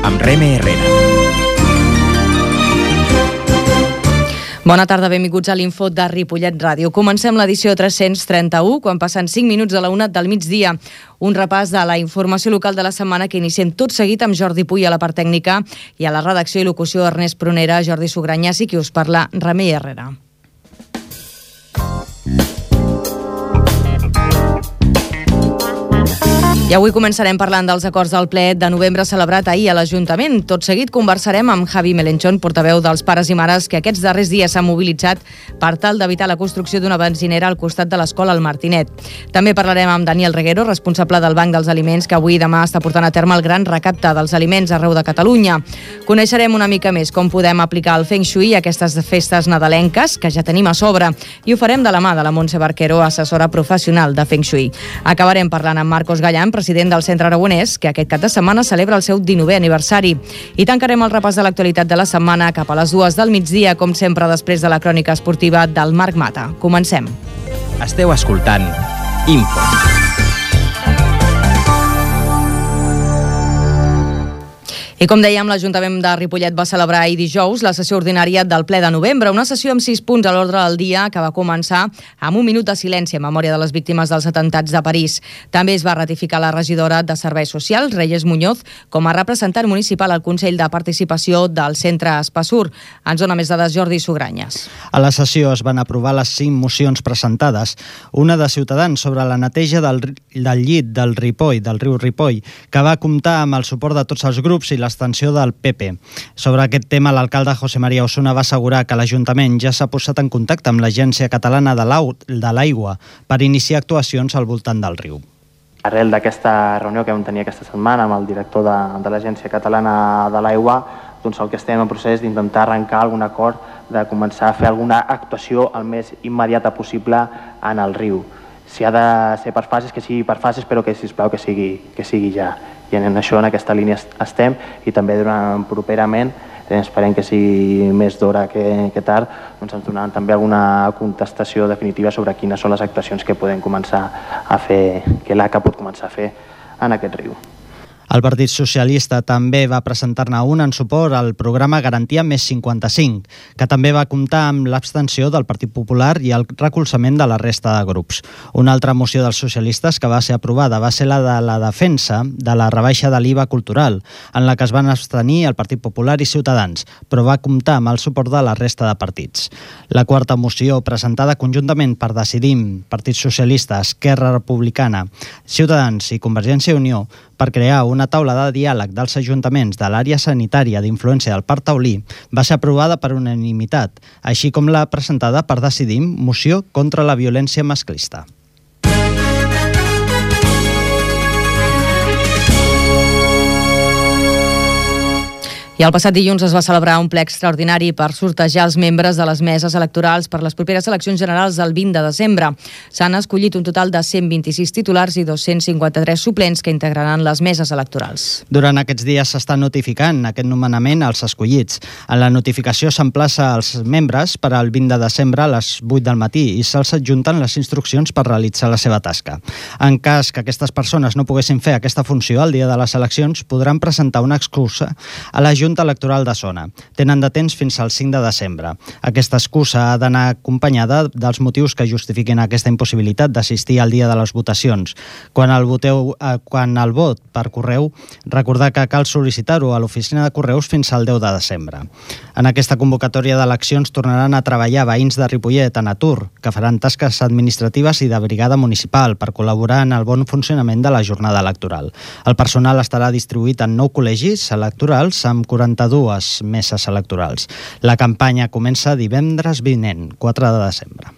amb Reme Herrera. Bona tarda, benvinguts a l'Info de Ripollet Ràdio. Comencem l'edició 331, quan passen 5 minuts de la 1 del migdia. Un repàs de la informació local de la setmana que iniciem tot seguit amb Jordi Puy a la part tècnica i a la redacció i locució Ernest Prunera, Jordi Sugranyas i qui us parla, Remei Herrera. I avui començarem parlant dels acords del ple de novembre celebrat ahir a l'Ajuntament. Tot seguit conversarem amb Javi Melenchón, portaveu dels pares i mares que aquests darrers dies s'han mobilitzat per tal d'evitar la construcció d'una benzinera al costat de l'escola El Martinet. També parlarem amb Daniel Reguero, responsable del Banc dels Aliments, que avui i demà està portant a terme el gran recapte dels aliments arreu de Catalunya. Coneixerem una mica més com podem aplicar el Feng Shui a aquestes festes nadalenques, que ja tenim a sobre, i ho farem de la mà de la Montse Barquero, assessora professional de Feng Shui. Acabarem parlant amb Marcos Gallan, president del Centre Aragonès, que aquest cap de setmana celebra el seu 19è aniversari. I tancarem el repàs de l'actualitat de la setmana cap a les 2 del migdia, com sempre després de la crònica esportiva del Marc Mata. Comencem. Esteu escoltant Info. I com dèiem, l'Ajuntament de Ripollet va celebrar ahir dijous la sessió ordinària del ple de novembre, una sessió amb 6 punts a l'ordre del dia que va començar amb un minut de silenci en memòria de les víctimes dels atemptats de París. També es va ratificar la regidora de Serveis Socials, Reyes Muñoz, com a representant municipal al Consell de Participació del Centre Espassur. Ens dona més dades Jordi Sugranyas. A la sessió es van aprovar les 5 mocions presentades, una de Ciutadans sobre la neteja del llit del Ripoll, del riu Ripoll, que va comptar amb el suport de tots els grups i l'extensió del PP. Sobre aquest tema, l'alcalde José María Osuna va assegurar que l'Ajuntament ja s'ha posat en contacte amb l'Agència Catalana de l'Aigua per iniciar actuacions al voltant del riu. Arrel d'aquesta reunió que vam tenir aquesta setmana amb el director de l'Agència Catalana de l'Aigua, doncs el que estem en procés d'intentar arrencar algun acord de començar a fer alguna actuació el més immediata possible en el riu. Si ha de ser per fases, que sigui per fases, però que, sisplau, que sigui ja. I en això, en aquesta línia estem, i també properament, esperem que sigui més d'hora que tard, doncs ens donaran també alguna contestació definitiva sobre quines són les actuacions que podem començar a fer, que l'ACA pot començar a fer en aquest riu. El Partit Socialista també va presentar-ne un en suport al programa Garantia Més 55, que també va comptar amb l'abstenció del Partit Popular i el recolzament de la resta de grups. Una altra moció dels socialistes que va ser aprovada va ser la de la defensa de la rebaixa de l'IVA cultural, en la que es van abstenir el Partit Popular i Ciutadans, però va comptar amb el suport de la resta de partits. La quarta moció, presentada conjuntament per Decidim, Partit Socialista, Esquerra Republicana, Ciutadans i Convergència i Unió, per crear una taula de diàleg dels ajuntaments de l'àrea sanitària d'influència del Parc Taulí, va ser aprovada per unanimitat, així com la presentada per Decidim, moció contra la violència masclista. I el passat dilluns es va celebrar un ple extraordinari per sortejar els membres de les meses electorals per les properes eleccions generals del 20 de desembre. S'han escollit un total de 126 titulars i 253 suplents que integraran les meses electorals. Durant aquests dies s'està notificant aquest nomenament als escollits. En la notificació s'emplaça als membres per al 20 de desembre a les 8 del matí i se'ls adjunten les instruccions per realitzar la seva tasca. En cas que aquestes persones no poguessin fer aquesta funció el dia de les eleccions, podran presentar una excusa a la Junta Electoral de Zona. Tenen de temps fins al 5 de desembre. Aquesta excusa ha d'anar acompanyada dels motius que justifiquin aquesta impossibilitat d'assistir al dia de les votacions. Quan el vot per correu, recordar que cal sol·licitar-ho a l'oficina de correus fins al 10 de desembre. En aquesta convocatòria d'eleccions tornaran a treballar veïns de Ripollet en atur, que faran tasques administratives i de brigada municipal per col·laborar en el bon funcionament de la jornada electoral. El personal estarà distribuït en 9 col·legis electorals amb 42 meses electorals. La campanya comença divendres vinent, 4 de desembre.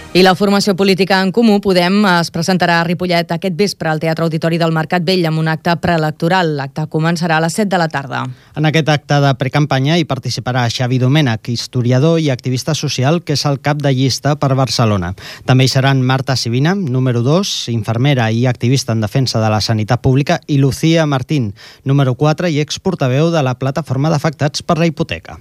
I la formació política En Comú Podem es presentarà a Ripollet aquest vespre al Teatre Auditori del Mercat Vell amb un acte preelectoral. L'acte començarà a les 7 de la tarda. En aquest acte de precampanya hi participarà Xavi Domènech, historiador i activista social, que és el cap de llista per Barcelona. També hi seran Marta Sivina, número 2, infermera i activista en defensa de la sanitat pública, i Lucía Martín, número 4 i exportaveu de la plataforma d'afectats per la hipoteca.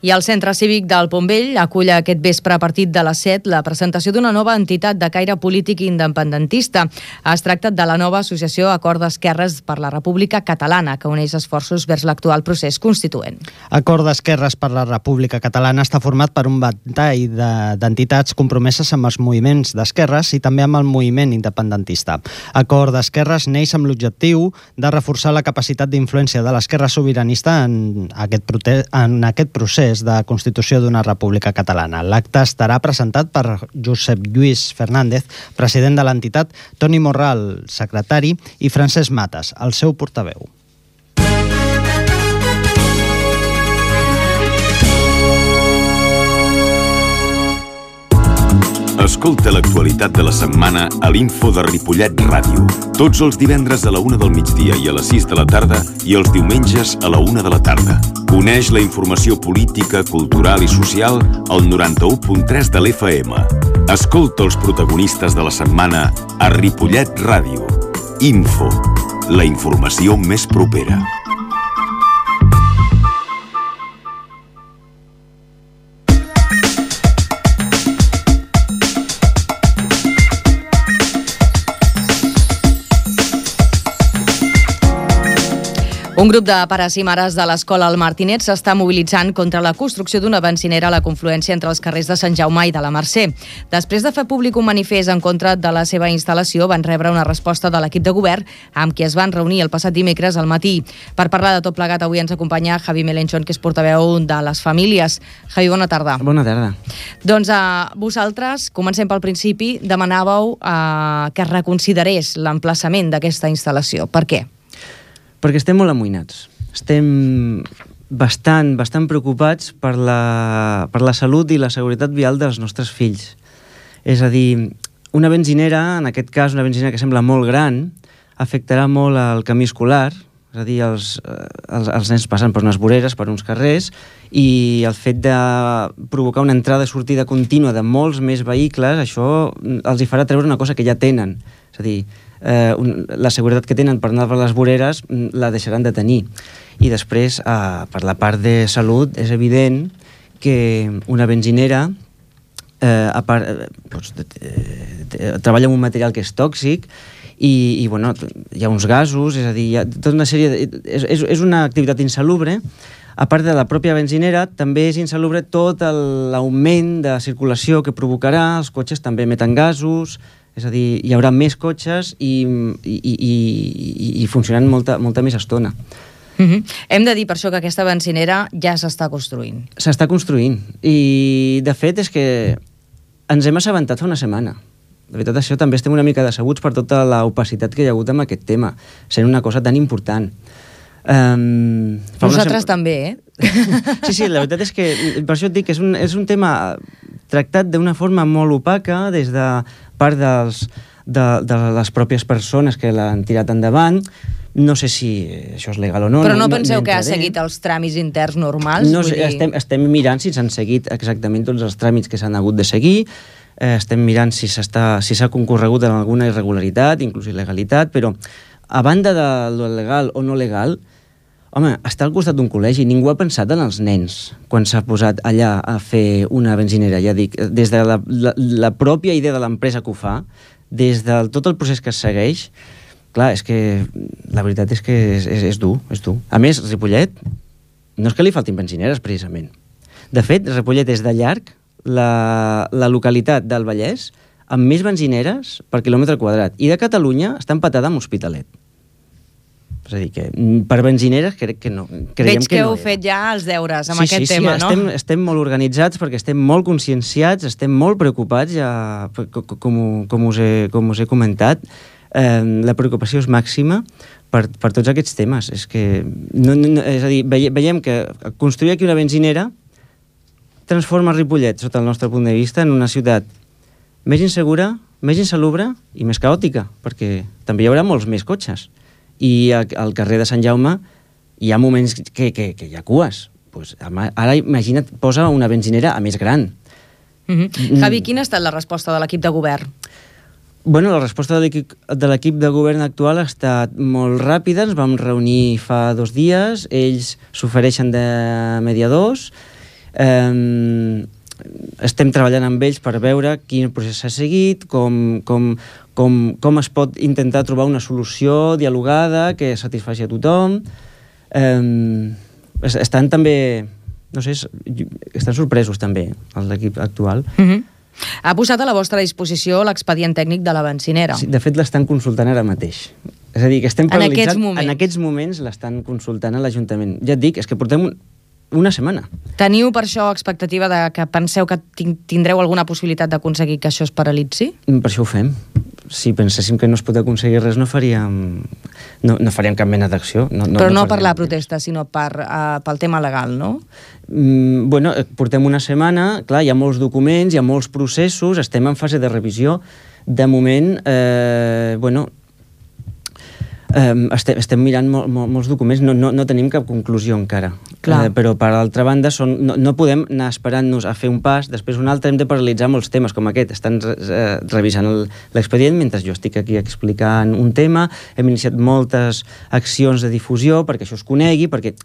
I el Centre Cívic del Pont Vell acull aquest vespre a partir de les 7 la presentació d'una nova entitat de caire polític independentista. Es tracta de la nova associació Acord d'Esquerres per la República Catalana, que uneix esforços vers l'actual procés constituent. Acord d'Esquerres per la República Catalana està format per un ventall d'entitats compromeses amb els moviments d'esquerres i també amb el moviment independentista. Acord d'Esquerres neix amb l'objectiu de reforçar la capacitat d'influència de l'esquerra sobiranista en aquest procés de constitució d'una república catalana. L'acte estarà presentat per Josep Lluís Fernández, president de l'entitat, Toni Morral, secretari, i Francesc Mates, el seu portaveu. Escolta l'actualitat de la setmana a l'Info de Ripollet Ràdio. Tots els divendres a la 1 del migdia i a les 6 de la tarda i els diumenges a la 1 de la tarda. Coneix la informació política, cultural i social al 91.3 de l'FM. Escolta els protagonistes de la setmana a Ripollet Ràdio. Info, la informació més propera. Un grup de pares i mares de l'escola El Martinet s'està mobilitzant contra la construcció d'una benzinera a la confluència entre els carrers de Sant Jaume i de la Mercè. Després de fer públic un manifest en contra de la seva instal·lació, van rebre una resposta de l'equip de govern amb qui es van reunir el passat dimecres al matí. Per parlar de tot plegat, avui ens acompanya Javi Melenchon, que és portaveu de les famílies. Javi, bona tarda. Bona tarda. Doncs vosaltres, comencem pel principi, demanàveu que es reconsiderés l'emplaçament d'aquesta instal·lació. Per què? Perquè estem molt amoïnats. Estem bastant preocupats per la salut i la seguretat vial dels nostres fills. És a dir, una benzinera, en aquest cas una benzinera que sembla molt gran, afectarà molt el camí escolar, és a dir, els nens passen per unes voreres, per uns carrers, i el fet de provocar una entrada i sortida contínua de molts més vehicles, això els hi farà treure una cosa que ja tenen. És a dir, la seguretat que tenen per anar per les voreres la deixaran de tenir. I després, per la part de salut, és evident que una benzinera treballa amb un material que és tòxic i bueno, hi ha uns gasos, és a dir, hi ha tota una sèrie és una activitat insalubre. A part de la pròpia benzinera, també és insalubre tot l'augment de circulació que provocarà, els cotxes també emeten gasos, és a dir, hi haurà més cotxes i funcionant molta més estona. Hem de dir per això que aquesta benzinera ja s'està construint. S'està construint. I, de fet, és que ens hem assabentat fa una setmana. De veritat, això també estem una mica decebuts per tota l'opacitat que hi ha hagut amb aquest tema, sent una cosa tan important. Nosaltres també, eh? Sí, la veritat és que, per això et dic que és un tema tractat d'una forma molt opaca des de part de les pròpies persones que l'han tirat endavant. No sé si això és legal o no. Però no penseu que ha seguit els tràmits interns normals? No sé, estem mirant si s'han seguit exactament tots els tràmits que s'han hagut de seguir, estem mirant si s'ha concorregut en alguna irregularitat, inclús il·legalitat, però a banda de lo legal o no legal, home, està al costat d'un col·legi. Ningú ha pensat en els nens quan s'ha posat allà a fer una benzinera. Ja dic, des de la pròpia idea de l'empresa que ho fa, des de tot el procés que es segueix, clar, és que la veritat és que és dur, és dur. A més, Ripollet no és que li faltin benzineres, precisament. De fet, Ripollet és de llarg la localitat del Vallès amb més benzineres per quilòmetre quadrat. I de Catalunya està empatada amb Hospitalet. És a dir, que per benzineres crec que no. Veig que heu fet ja els deures amb aquest tema, no? Estem molt organitzats perquè estem molt conscienciats, estem molt preocupats, ja, com us he comentat. La preocupació és màxima per tots aquests temes. És a dir, veiem que construir aquí una benzinera transforma Ripollet, sota el nostre punt de vista, en una ciutat més insegura, més insalubre i més caòtica, perquè també hi haurà molts més cotxes. I al carrer de Sant Jaume hi ha moments que hi ha cues. Pues ara imagina't, posa una benzinera a més gran. Javi, quina ha estat la resposta de l'equip de govern? Bueno, la resposta de l'equip de govern actual ha estat molt ràpida. Ens vam reunir fa 2 dies, ells s'ofereixen de mediadors, Estem treballant amb ells per veure quin procés s'ha seguit, com es pot intentar trobar una solució dialogada que satisfaci a tothom. Estan també, no sé, estan sorpresos també, l'equip actual. Ha posat a la vostra disposició l'expedient tècnic de la bencinera. Sí, de fet, l'estan consultant ara mateix. És a dir, que estem paralitzats... En aquests moments l'estan consultant a l'Ajuntament. Ja et dic, és que portem una setmana. Teniu per això expectativa de que penseu que tindreu alguna possibilitat d'aconseguir que això es paralitzi? Per això ho fem. Si penséssim que no es pot aconseguir res, no faríem cap mena d'acció. Però no per la protesta, sinó pel tema legal, no? Bueno, portem una setmana, clar, hi ha molts documents, hi ha molts processos, estem en fase de revisió. De moment, estem mirant molts documents, no tenim cap conclusió encara. Però per altra banda no podem anar esperant-nos a fer un pas, després un altre. Hem de paralitzar molts temes com aquest. Estan revisant l'expedient mentre jo estic aquí explicant un tema. Hem iniciat moltes accions de difusió perquè això es conegui, perquè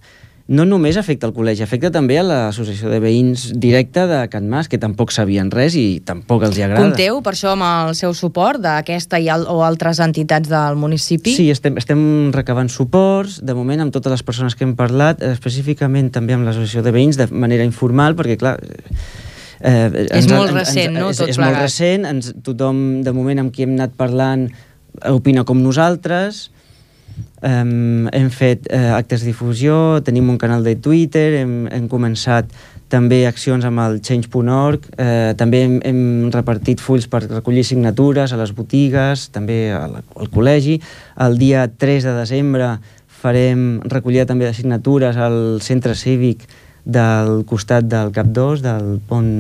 no només afecta el col·legi, afecta també a l'associació de veïns directa de Can Mas, que tampoc sabien res i tampoc els agrada. Compteu, per això, amb el seu suport d'aquesta o altres entitats del municipi? Sí, estem recabant suports, de moment amb totes les persones que hem parlat, específicament també amb l'associació de veïns, de manera informal, perquè, clar... és molt recent, no? És molt recent, tothom, de moment, amb qui hem anat parlant, opina com nosaltres. Hem fet actes de difusió, tenim un canal de Twitter, hem començat també accions amb el Change.org, també hem repartit fulls per recollir signatures a les botigues, també al col·legi. El dia 3 de desembre farem recollida també de signatures al centre cívic del costat del Cap 2, del pont.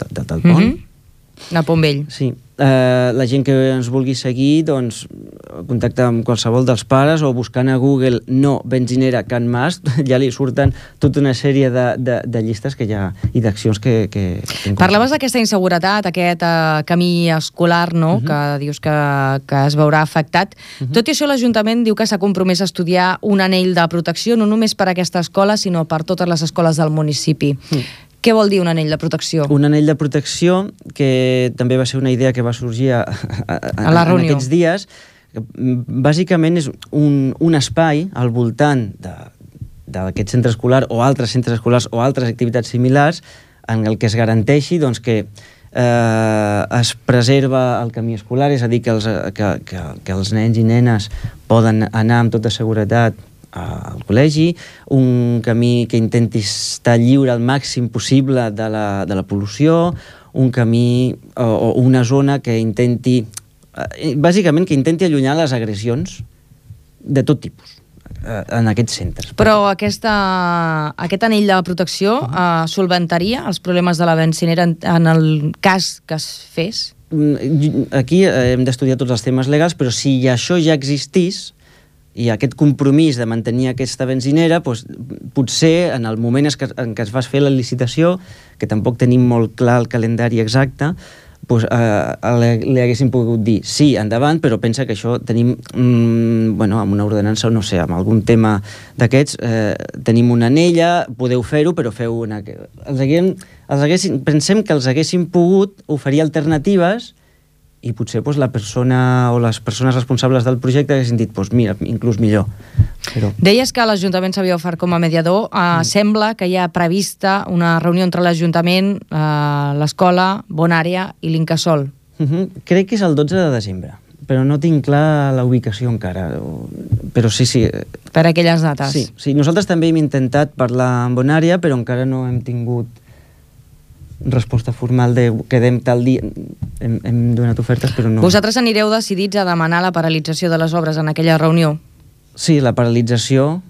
Del pont? De Pont Vell. Sí. La gent que ens vulgui seguir, doncs, contacta amb qualsevol dels pares o buscant a Google no benzinera Can Mas, ja li surten tota una sèrie de llistes que hi ha i d'accions que Parlaves d'aquesta inseguretat, aquest camí escolar, no?, que dius que es veurà afectat. Tot i això, l'Ajuntament diu que s'ha compromès a estudiar un anell de protecció no només per a aquesta escola, sinó per totes les escoles del municipi. Què vol dir un anell de protecció? Un anell de protecció, que també va ser una idea que va sorgir a la reunió en aquests dies. Bàsicament és un espai al voltant d'aquest centre escolar o altres centres escolars o altres activitats similars en el que es garanteixi doncs, que es preserva el camí escolar, és a dir, que els nens i nenes poden anar amb tota seguretat al col·legi, un camí que intenti estar lliure al màxim possible de la pol·lució, un camí o una zona que intenti, bàsicament, que intenti allunyar les agressions de tot tipus en aquests centres. Però aquest anell de protecció solventaria els problemes de la bencinera en el cas que es fes? Aquí hem d'estudiar tots els temes legals, però si això ja existís, i aquest compromís de mantenir aquesta benzinera, doncs, potser en el moment en què es va fer la licitació, que tampoc tenim molt clar el calendari exacte, doncs, li haguéssim pogut dir sí, endavant, però pensa que això tenim, amb una ordenança o no sé, amb algun tema d'aquests, tenim una anella, podeu fer-ho, però feu una... Pensem que els haguéssim pogut oferir alternatives i potser la persona o les persones responsables del projecte haguessin dit, mira, inclús millor. Però... Deies que l'Ajuntament s'havia ofert com a mediador. Sembla que hi ha prevista una reunió entre l'Ajuntament, l'escola, Bonària i l'Incasòl. Crec que és el 12 de desembre, però no tinc clar la ubicació encara. Però sí. Per aquelles dates. Sí. Nosaltres també hem intentat parlar amb Bonària, però encara no hem tingut resposta formal de quedem tal dia. Hem donat ofertes, però no... Vosaltres anireu decidits a demanar la paralització de les obres en aquella reunió? Sí, la paralització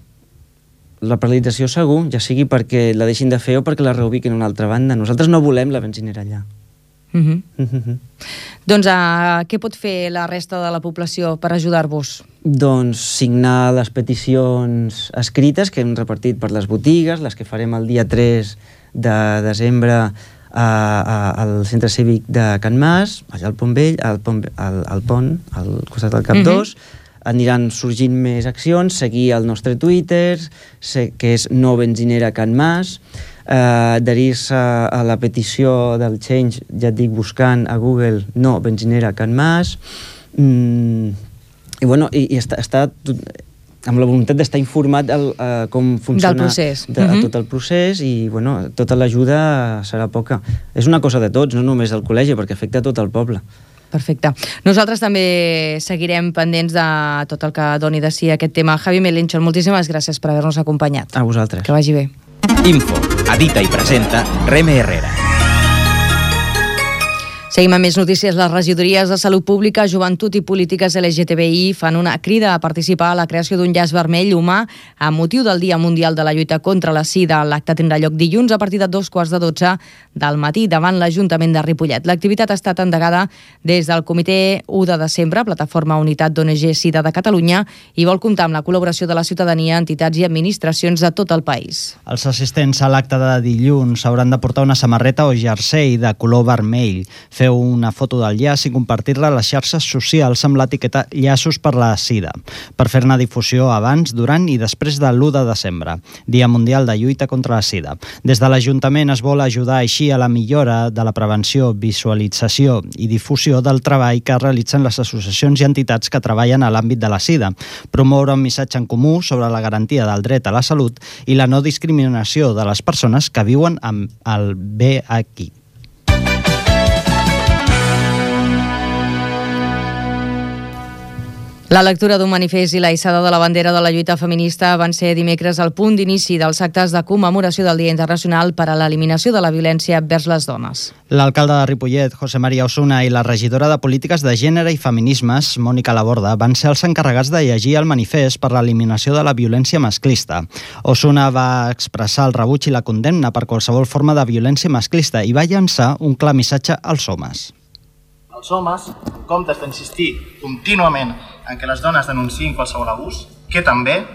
segur, ja sigui perquè la deixin de fer o perquè la reubiquin a una altra banda. Nosaltres no volem la benzinera allà. Doncs què pot fer la resta de la població per ajudar-vos? Doncs signar les peticions escrites que hem repartit per les botigues, les que farem el dia 3 de desembre al centre cívic de Can Mas, allà al Pont Vell, al pont, al costat del Cap 2. Aniran sorgint més accions, seguir el nostre Twitter, que és no benzinera Can Mas. adherir-se a la petició del Change, ja et dic, buscant a Google no benzinera Can Mas, i bueno, i està amb la voluntat d'estar informat com funciona del procés. Tot el procés, i bueno, tota l'ajuda serà poca. És una cosa de tots, no només del col·legi, perquè afecta tot el poble. Perfecte. Nosaltres també seguirem pendents de tot el que doni de si aquest tema. Javi Melenchon, moltíssimes gràcies per haver-nos acompanyat. A vosaltres. Que vagi bé. Info, edita i presenta Reme Herrera. Seguim amb més notícies. Les regidories de Salut Pública, Joventut i Polítiques LGTBI fan una crida a participar a la creació d'un llaç vermell humà amb motiu del Dia Mundial de la Lluita contra la Sida. L'acte tindrà lloc dilluns a partir de 2:15 del matí davant l'Ajuntament de Ripollet. L'activitat ha estat endegada des del Comitè 1 de desembre, Plataforma Unitat d'ONG Sida de Catalunya, i vol comptar amb la col·laboració de la ciutadania, entitats i administracions de tot el país. Els assistents a l'acte de dilluns hauran de portar una samarreta o jersei de color vermell, fer una foto del llaç i compartir-la a les xarxes socials amb l'etiqueta Llaços per la Sida, per fer-ne difusió abans, durant i després de l'1 de desembre, Dia Mundial de Lluita contra la Sida. Des de l'Ajuntament es vol ajudar així a la millora de la prevenció, visualització i difusió del treball que realitzen les associacions i entitats que treballen a l'àmbit de la Sida, promoure un missatge en comú sobre la garantia del dret a la salut i la no discriminació de les persones que viuen amb el VIH. La lectura d'un manifest i la hissada de la bandera de la lluita feminista van ser dimecres el punt d'inici dels actes de commemoració del Dia Internacional per a l'eliminació de la violència vers les dones. L'alcalde de Ripollet, José María Osuna, i la regidora de Polítiques de Gènere i Feminismes, Mònica Laborda, van ser els encarregats de llegir el manifest per l'eliminació de la violència masclista. Osuna va expressar el rebuig i la condemna per qualsevol forma de violència masclista i va llançar un clar missatge als homes. Els homes, en comptes d'insistir contínuament en que les dones denunciïn qualsevol abús, que també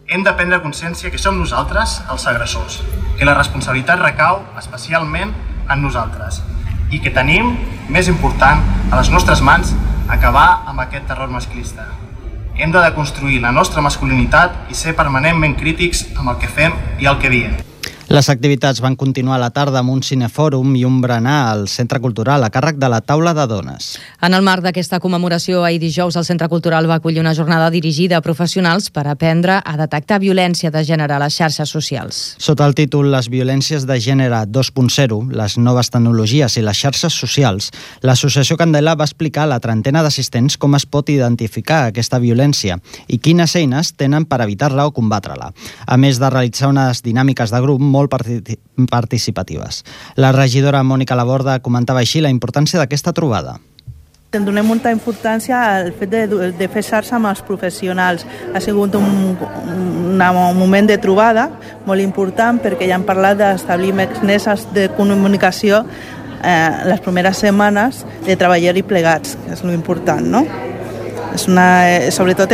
hem de prendre consciència que som nosaltres els agressors, que la responsabilitat recau especialment en nosaltres i que tenim, més important, a les nostres mans acabar amb aquest terror masclista. Hem de deconstruir la nostra masculinitat i ser permanentment crítics amb el que fem i el que diem. Les activitats van continuar a la tarda amb un cinefòrum i un berenar al Centre Cultural a càrrec de la Taula de Dones. En el marc d'aquesta commemoració, ahir dijous el Centre Cultural va acollir una jornada dirigida a professionals per aprendre a detectar violència de gènere a les xarxes socials. Sota el títol Les violències de gènere 2.0, les noves tecnologies i les xarxes socials, l'Associació Candela va explicar a la trentena d'assistents com es pot identificar aquesta violència i quines eines tenen per evitar-la o combatre-la, a més de realitzar unes dinàmiques de grup molt participatives. La regidora Mònica Laborda comentava així la importància d'aquesta trobada. Donem molta importància al fet de fer xarxa amb els professionals. Ha sigut un moment de trobada molt important perquè ja hem parlat d'establir mecanismes de comunicació les primeres setmanes de treballar-hi plegats, que és l'important, no? Sobretot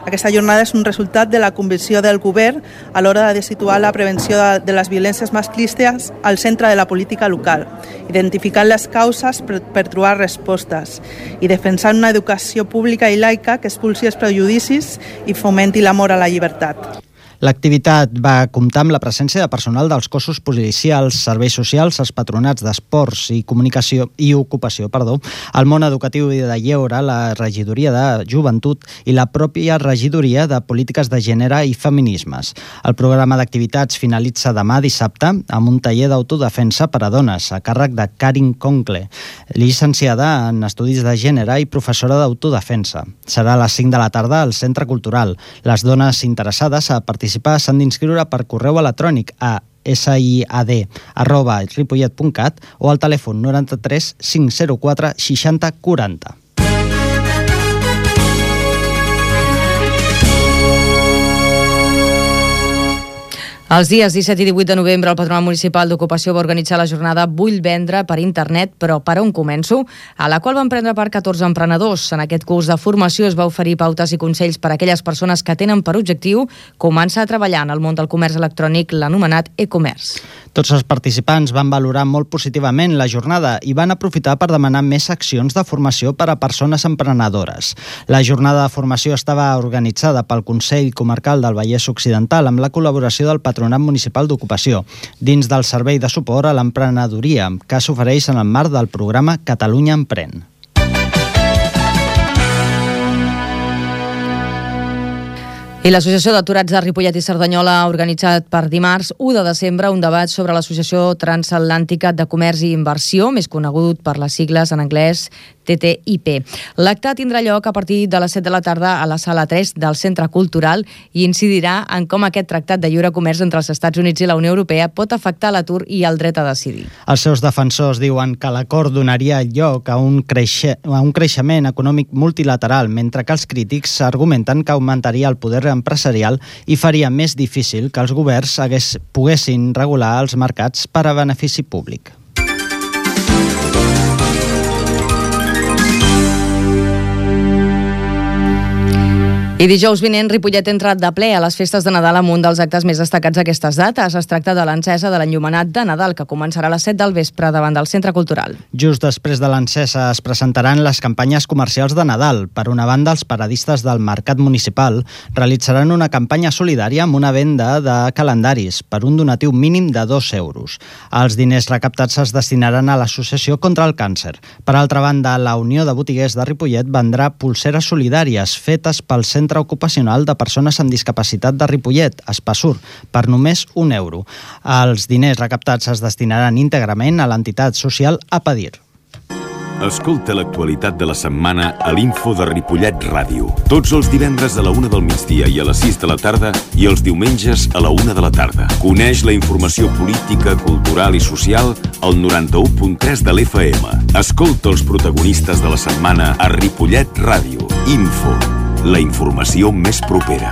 aquesta jornada és un resultat de la convicció del govern a l'hora de situar la prevenció de les violències masclistes al centre de la política local, identificant les causes per trobar respostes i defensant una educació pública i laica que expulsi els prejudicis i fomenti l'amor a la llibertat. L'activitat va comptar amb la presència de personal dels cossos policials, serveis socials, els patronats d'esports i comunicació i ocupació, el món educatiu i de lleure, la regidoria de joventut i la pròpia regidoria de polítiques de gènere i feminismes. El programa d'activitats finalitza demà dissabte amb un taller d'autodefensa per a dones a càrrec de Karin Concle, llicenciada en Estudis de Gènere i professora d'autodefensa. Serà a les 5 de la tarda al Centre Cultural. Les dones interessades a participar s'han d'inscriure per correu electrònic a siad@ripollet.cat o al telèfon 93 504 60 40. Els dies 17 i 18 de novembre el Patronat Municipal d'Ocupació va organitzar la jornada Vull vendre per internet, però per on començo?, a la qual van prendre part 14 emprenedors. En aquest curs de formació es va oferir pautes i consells per a aquelles persones que tenen per objectiu començar a treballar en el món del comerç electrònic, l'anomenat e-commerce. Tots els participants van valorar molt positivament la jornada i van aprofitar per demanar més accions de formació per a persones emprenedores. La jornada de formació estava organitzada pel Consell Comarcal del Vallès Occidental amb la col·laboració del Patronat Patronat Municipal d'Ocupació, dins del servei de suport a l'emprenedoria, que s'ofereix en el marc del programa Catalunya Emprèn. I l'Associació d'Aturats de Ripollet i Cerdanyola ha organitzat per dimarts 1 de desembre un debat sobre l'Associació Transatlàntica de Comerç i Inversió, més conegut per les sigles en anglès TTIP. L'acte tindrà lloc a partir de les 7 de la tarda a la sala 3 del Centre Cultural i incidirà en com aquest tractat de lliure comerç entre els Estats Units i la Unió Europea pot afectar l'atur i el dret a decidir. Els seus defensors diuen que l'acord donaria lloc a un creixement econòmic multilateral, mentre que els crítics argumenten que augmentaria el poder empresarial i faria més difícil que els governs poguessin regular els mercats per a benefici públic. I dijous vinent, Ripollet ha entrat de ple a les festes de Nadal amb un dels actes més destacats d'aquestes dates. Es tracta de l'encesa de l'enllumenat de Nadal, que començarà a les 7 del vespre davant del Centre Cultural. Just després de l'encesa es presentaran les campanyes comercials de Nadal. Per una banda, els paradistes del Mercat Municipal realitzaran una campanya solidària amb una venda de calendaris per un donatiu mínim de 2 euros. Els diners recaptats es destinaran a l'Associació contra el Càncer. Per altra banda, la Unió de Botiguers de Ripollet vendrà pulseres solidàries fetes pel Centre Ocupacional de Persones amb Discapacitat de Ripollet, Espassur, per només 1 euro. Els diners recaptats es destinaran íntegrament a l'entitat social Apadir. Escolta l'actualitat de la setmana a l'Info de Ripollet Ràdio. Tots els divendres a la 1 del migdia i a les 6 de la tarda i els diumenges a la 1 de la tarda. Coneix la informació política, cultural i social al 91.3 de l'FM. Escolta els protagonistes de la setmana a Ripollet Ràdio. Info. La informació més propera.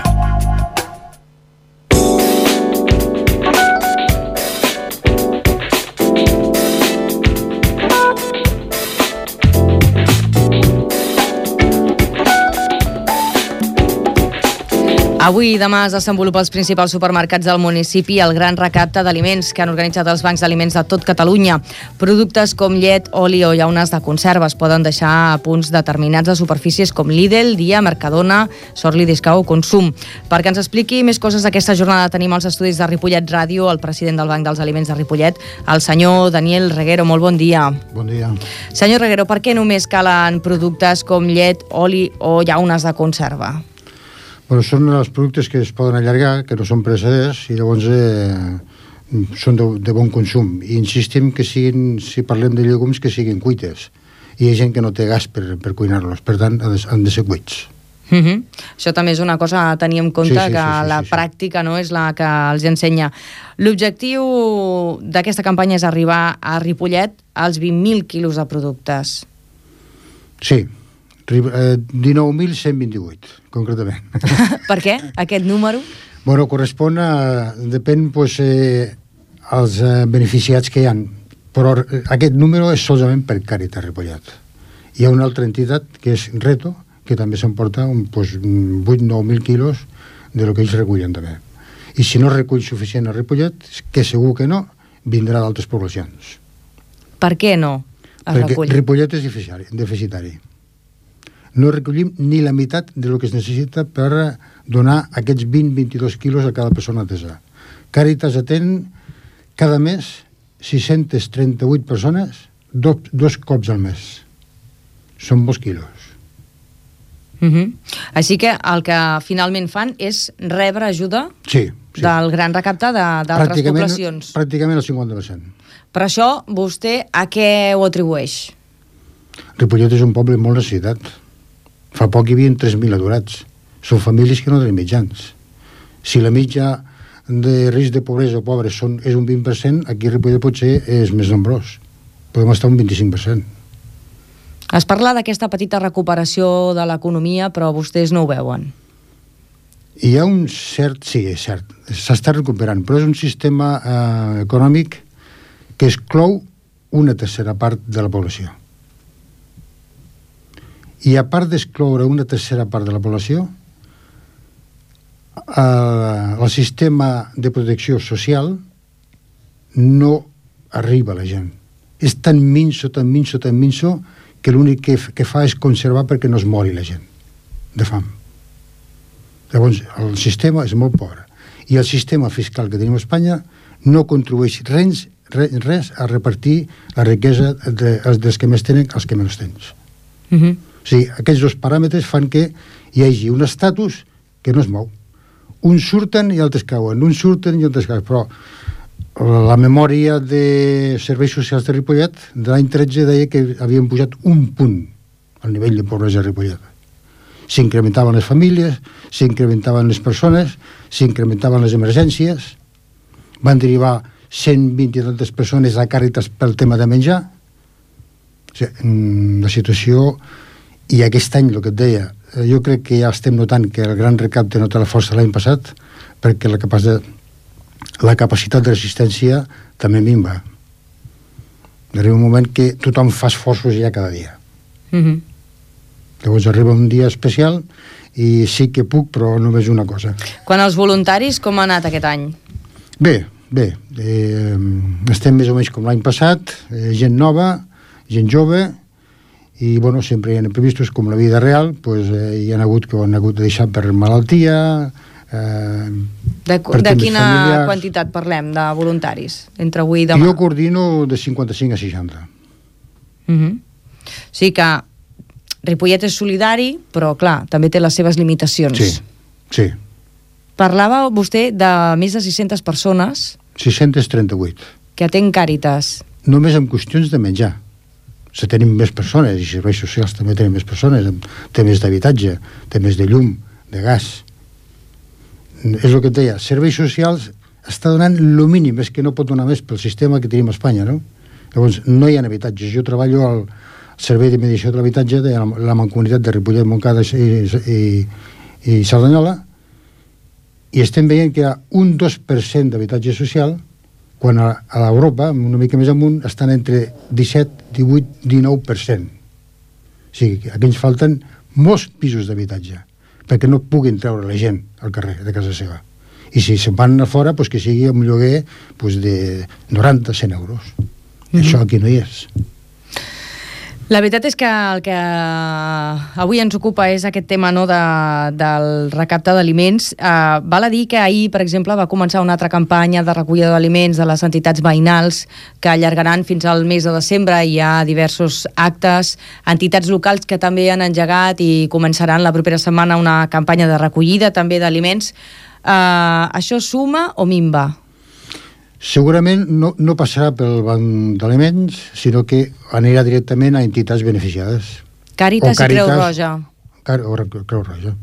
Avui i demà es desenvolupa als principals supermercats del municipi el gran recapte d'aliments que han organitzat els bancs d'aliments de tot Catalunya. Productes com llet, oli o llaunes de conserva es poden deixar a punts determinats de superfícies com Lidl, Dia, Mercadona, Sorli, Discau o Consum. Perquè ens expliqui més coses d'aquesta jornada tenim als estudis de Ripollet Ràdio el president del Banc dels Aliments de Ripollet, el senyor Daniel Reguero. Molt bon dia. Bon dia. Senyor Reguero, per què només calen productes com llet, oli o llaunes de conserva? Bueno, són els productes que es poden allargar, que no són pereceders, i llavors són de bon consum. I insistim que siguin, si parlem de llegums, que siguin cuites. I hi ha gent que no té gas per cuinar-los, per tant, han de ser cuits. Això també és una cosa a tenir en compte, que la pràctica no és la que els ensenya. L'objectiu d'aquesta campanya és arribar a Ripollet als 20.000 quilos de productes. Sí, 19.128, concretament. Per què, aquest número? Bueno, correspon a... Depèn, als beneficiats que hi ha. Però aquest número és solament per Càritas Ripollet. Hi ha una altra entitat, que és Reto, que també s'emporta 8-9.000 quilos de lo que ells recullen també. I si no recull suficient a Ripollet, que segur que no, vindrà d'altres poblacions. Per què no es recull? Perquè Ripollet és deficitari. No recollim ni la meitat del que es necessita per donar aquests 20-22 quilos a cada persona atesa. Càritas atén cada mes 638 persones, dos cops al mes. Són molts quilos. Així que el que finalment fan és rebre ajuda del gran recapte d'altres poblacions. Pràcticament el 50%. Per això, vostè a què ho atribueix? Ripollet és un poble molt necessitat. Fa poc hi havia 3.000 aturats. Són famílies que no tenen mitjans. Si la mitja de risc de pobresa o pobres és un 20%, aquí a Ripollet potser és més nombrós. Podem estar un 25%. Es parla d'aquesta petita recuperació de l'economia, però vostès no ho veuen. Hi ha un cert... Sí, és cert. S'està recuperant, però és un sistema econòmic que exclou una tercera part de la població. I a part d'excloure una tercera part de la població, el sistema de protecció social no arriba a la gent. És tan minso, que l'únic que fa és conservar perquè no es mori la gent de fam. Llavors, el sistema és molt pobre. i el sistema fiscal que tenim a Espanya no contribueix res a repartir la riquesa dels que més tenen als que menys tens. O sigui, aquests dos paràmetres fan que hi hagi un estatus que no es mou. Uns surten i altres cauen, uns surten i altres cauen, però la memòria de serveis socials de Ripollet de l'any 13 deia que havien pujat un punt al nivell de pobresa de Ripollet. S'incrementaven les famílies, s'incrementaven les persones, s'incrementaven les emergències, van derivar 120 i tantes persones a Càritas pel tema de menjar. O sigui, la situació, i aquest any, el que et deia, jo crec que ja estem notant que el gran recapte no té la força l'any passat, perquè la capacitat de resistència també minva. Arriba un moment que tothom fa esforços ja cada dia. Llavors arriba un dia especial i sí que puc, però només una cosa. Quan els voluntaris, com ha anat aquest any? Bé. Estem més o menys com l'any passat, gent nova, gent jove, i bueno, sempre hi ha imprevistos com la vida real, pues, hi ha hagut que ho han hagut de deixar per malaltia, de quina quantitat parlem de voluntaris entre avui i demà? Jo coordino de 55 a 60. O sigui que Ripollet és solidari, però clar, també té les seves limitacions. Sí. Parlava vostè de més de 600 persones 638 que atén Càritas. Només en qüestions de menjar. Si tenim més persones, i serveis socials també tenen més persones, temes d'habitatge, temes de llum, de gas. És el que et deia, serveis socials està donant el mínim, és que no pot donar més pel sistema que tenim a Espanya, no? Llavors, no hi ha habitatges. Jo treballo al Servei de Mediació de l'Habitatge de la Mancomunitat de Ripollet, Montcada i Cerdanyola, i estem veient que hi ha un 2% d'habitatge social, quan a l'Europa, una mica més amunt, estan entre 17, 18, 19%. O sigui, aquí ens falten molts pisos d'habitatge, perquè no puguin treure la gent al carrer de casa seva. I si se'n van a fora, pues que sigui un lloguer pues de 90, 100 euros. Això aquí no hi és. La veritat és que el que avui ens ocupa és aquest tema, no, del recapte d'aliments. Val a dir que ahir, per exemple, va començar una altra campanya de recollida d'aliments de les entitats veïnals que allargaran fins al mes de desembre. Hi ha diversos actes, entitats locals que també han engegat i començaran la propera setmana una campanya de recollida també d'aliments. Això suma o minva? Segurament no passarà pel banc d'aliments, sinó que anirà directament a entitats beneficiades. Càritas i Creu Roja. Creu Roja,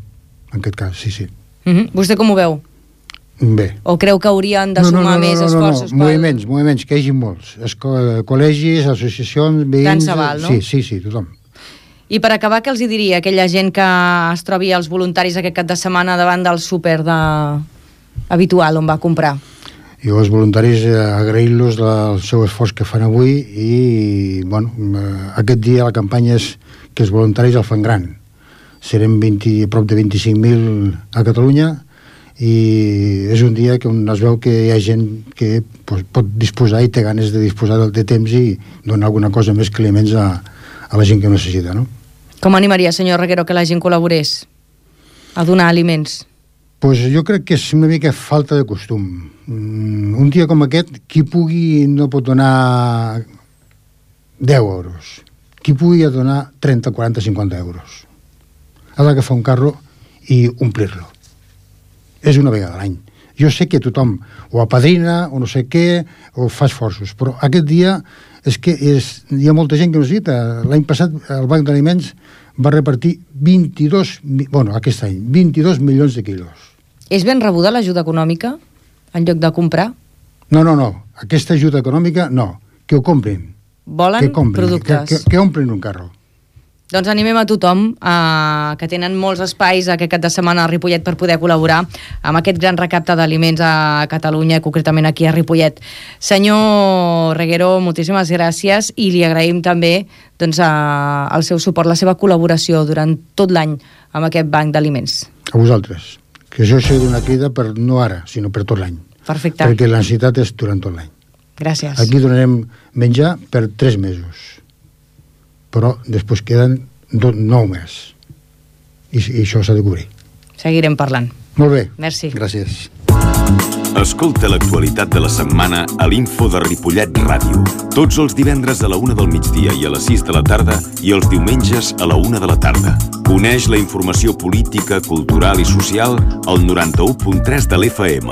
en aquest cas, sí. Vostè com ho veu? Bé. O creu que haurien de sumar més esforços? Moviments, que hi hagi molts. Col·legis, associacions, veïns... Tant se val, no? Sí, tothom. I per acabar, què els diria aquella gent que es trobi els voluntaris aquest cap de setmana davant del súper habitual on va comprar? Jo als voluntaris agrair-los el seu esforç que fan avui i, bueno, aquest dia la campanya és que els voluntaris el fan gran. Serem prop de 25.000 a Catalunya i és un dia on es veu que hi ha gent que pot disposar i té ganes de disposar de temps i donar alguna cosa més que aliments a la gent que ho necessita, no? Com animaria, senyor Reguero, que la gent col·laborés a donar aliments? Pues jo crec que és una mica falta de costum. Un dia com aquest, qui pugui no pot donar 10 euros. Qui pugui donar 30, 40, 50 euros. Ha d'agafar un carro i omplir-lo. És una vegada a l'any. Jo sé que tothom o apadrina o no sé què, o fa esforços, però aquest dia és que hi ha molta gent que ho necessita. L'any passat el Banc d'Aliments va repartir 22 milions de quilos. És ben rebuda l'ajuda econòmica en lloc de comprar? No. Aquesta ajuda econòmica, no. Que ho comprin. Volen productes. Que omplen un carro. Doncs animem a tothom que tenen molts espais aquest cap de setmana a Ripollet per poder col·laborar amb aquest gran recapte d'aliments a Catalunya, concretament aquí a Ripollet. Senyor Reguero, moltíssimes gràcies i li agraïm també doncs, el seu suport, la seva col·laboració durant tot l'any amb aquest banc d'aliments. A vosaltres. Que això sigui una crida per no ara, sinó per tot l'any. Perfecte. Perquè la necessitat és durant tot l'any. Gràcies. Aquí donarem menjar per 3 mesos. Però després queden 9 mesos. I això s'ha de cobrir. Seguirem parlant. Molt bé. Merci. Gràcies. Escolta l'actualitat de la setmana a l'Info de Ripollet Ràdio. Tots els divendres a la 1 del migdia i a les 6 de la tarda i els diumenges a la 1 de la tarda. Coneix la informació política, cultural i social al 91.3 de l'FM.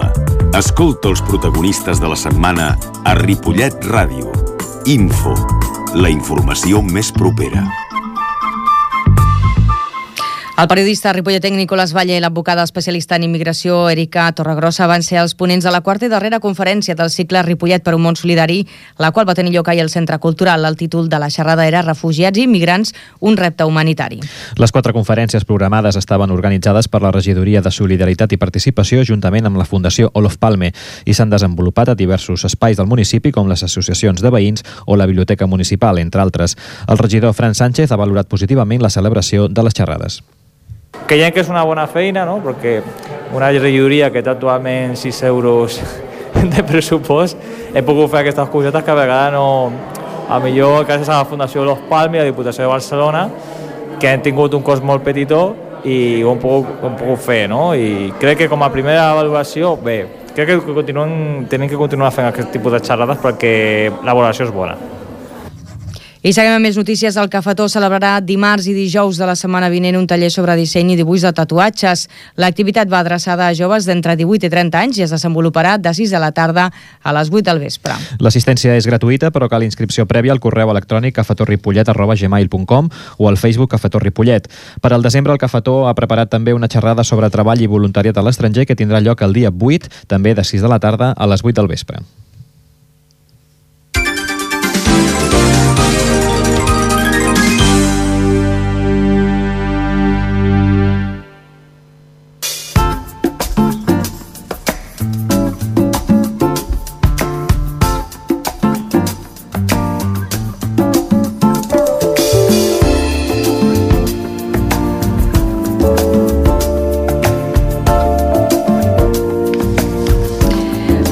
Escolta els protagonistes de la setmana a Ripollet Ràdio. Info, la informació més propera. El periodista ripolletec Nicolás Valle i l'advocada especialista en immigració Erika Torregrossa van ser els ponents de la quarta i darrera conferència del cicle Ripollet per un món solidari, la qual va tenir lloc ahir al Centre Cultural. El títol de la xerrada era Refugiats i immigrants, un repte humanitari. Les 4 conferències programades estaven organitzades per la Regidoria de Solidaritat i Participació juntament amb la Fundació Olof Palme i s'han desenvolupat a diversos espais del municipi com les associacions de veïns o la Biblioteca Municipal, entre altres. El regidor Fran Sánchez ha valorat positivament la celebració de les xerrades. Creiem que és una bona feina, no? Perquè una regidoria que té actualment 6 euros de pressupost, he pogut fer aquestes cosetes que a vegades no... A millor gràcies a la Fundació Olof Palme i a la Diputació de Barcelona, que han tingut un cost molt petitó i ho hem pogut fer, no? I crec que com a primera valoració, bé, crec que tenim que continuar fent aquest tipus de xerrades perquè la valoració és bona. I seguim amb més notícies. El Cafetó celebrarà dimarts i dijous de la setmana vinent un taller sobre disseny i dibuix de tatuatges. L'activitat va adreçada a joves d'entre 18 i 30 anys i es desenvoluparà de 6 de la tarda a les 8 del vespre. L'assistència és gratuïta, però cal inscripció prèvia al correu electrònic cafetorripollet@gmail.com o al Facebook Cafetó Ripollet. Per al desembre, el Cafetó ha preparat també una xerrada sobre treball i voluntariat a l'estranger que tindrà lloc el dia 8, també de 6 de la tarda a les 8 del vespre.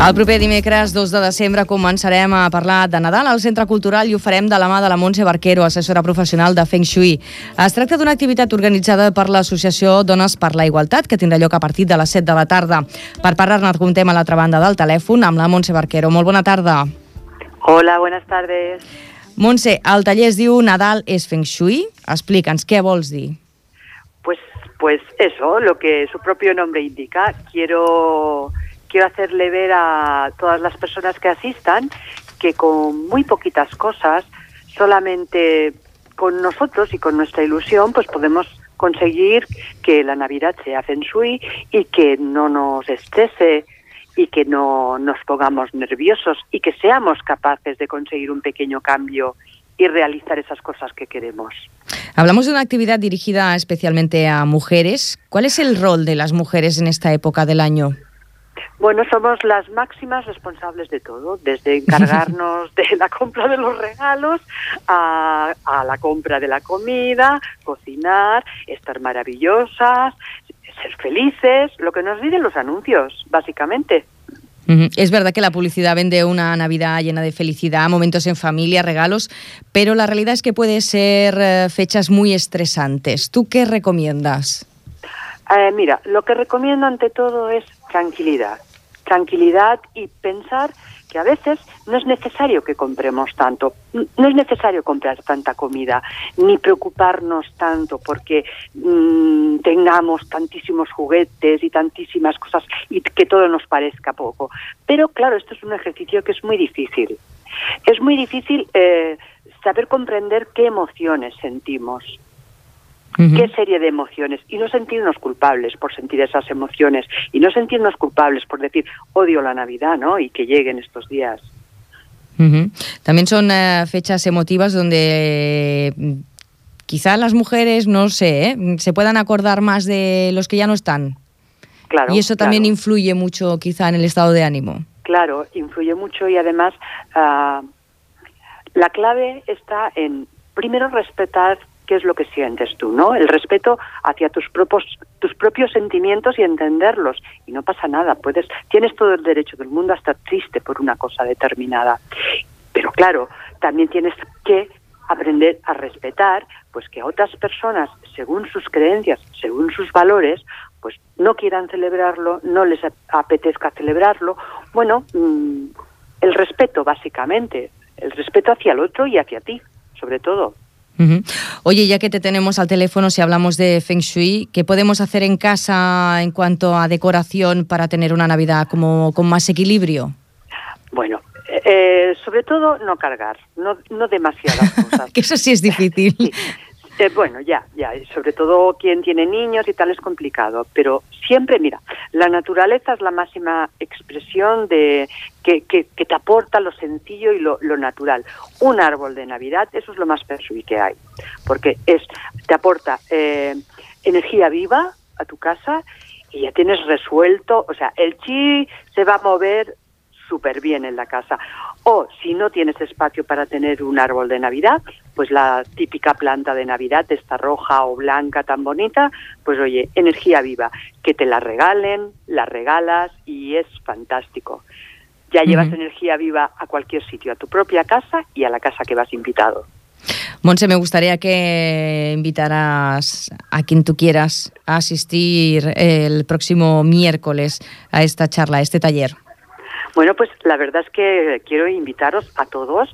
El proper dimecres 2 de desembre començarem a parlar de Nadal al Centre Cultural i ho farem de la mà de la Montse Barquero, assessora professional de Feng Shui. Es tracta d'una activitat organitzada per l'Associació Dones per la Igualtat, que tindrà lloc a partir de les 7 de la tarda. Per parlar-ne comptem a l'altra banda del telèfon amb la Montse Barquero. Molt bona tarda. Hola, buenas tardes. Montse, el taller es diu Nadal és Feng Shui. Explica'ns, què vols dir? Pues eso, lo que su propio nombre indica. Quiero hacerle ver a todas las personas que asistan que con muy poquitas cosas, solamente con nosotros y con nuestra ilusión, pues podemos conseguir que la Navidad sea Feng Shui y que no nos estrese y que no nos pongamos nerviosos y que seamos capaces de conseguir un pequeño cambio y realizar esas cosas que queremos. Hablamos de una actividad dirigida especialmente a mujeres. ¿Cuál es el rol de las mujeres en esta época del año? Bueno, somos las máximas responsables de todo, desde encargarnos de la compra de los regalos a la compra de la comida, cocinar, estar maravillosas, ser felices, lo que nos dicen los anuncios, básicamente. Es verdad que la publicidad vende una Navidad llena de felicidad, momentos en familia, regalos, pero la realidad es que puede ser fechas muy estresantes. ¿Tú qué recomiendas? Mira, lo que recomiendo ante todo es tranquilidad. Tranquilidad y pensar que a veces no es necesario que compremos tanto, no es necesario comprar tanta comida, ni preocuparnos tanto porque tengamos tantísimos juguetes y tantísimas cosas y que todo nos parezca poco. Pero claro, esto es un ejercicio que es muy difícil. Es muy difícil saber comprender qué emociones sentimos. ¿Qué serie de emociones? Y no sentirnos culpables por sentir esas emociones. Y no sentirnos culpables por decir, odio la Navidad, ¿no? Y que lleguen estos días. También son fechas emotivas donde quizá las mujeres, no sé, se puedan acordar más de los que ya no están. Claro. Y eso también influye mucho quizá en el estado de ánimo. Claro, influye mucho y además la clave está en, primero, respetar qué es lo que sientes tú, ¿no? El respeto hacia tus propios sentimientos y entenderlos. Y no pasa nada, tienes todo el derecho del mundo a estar triste por una cosa determinada. Pero claro, también tienes que aprender a respetar pues que otras personas, según sus creencias, según sus valores, pues no quieran celebrarlo, no les apetezca celebrarlo. Bueno, el respeto básicamente, el respeto hacia el otro y hacia ti, sobre todo. Oye, ya que te tenemos al teléfono, si hablamos de Feng Shui, ¿qué podemos hacer en casa en cuanto a decoración para tener una Navidad como con más equilibrio? Bueno, sobre todo no cargar, no demasiadas cosas. Que eso sí es difícil. Sí. Bueno, ya, sobre todo quien tiene niños y tal es complicado, pero siempre, mira, la naturaleza es la máxima expresión de que te aporta lo sencillo y lo natural. Un árbol de Navidad, eso es lo más Feng Shui que hay, porque te aporta energía viva a tu casa y ya tienes resuelto, o sea, el chi se va a mover súper bien en la casa. O si no tienes espacio para tener un árbol de Navidad, pues la típica planta de Navidad, esta roja o blanca tan bonita, pues oye, energía viva, que te la regalen, la regalas y es fantástico. Ya llevas energía viva a cualquier sitio, a tu propia casa y a la casa que vas invitado. Montse, me gustaría que invitaras a quien tú quieras a asistir el próximo miércoles a esta charla, a este taller. Bueno, pues la verdad es que quiero invitaros a todos.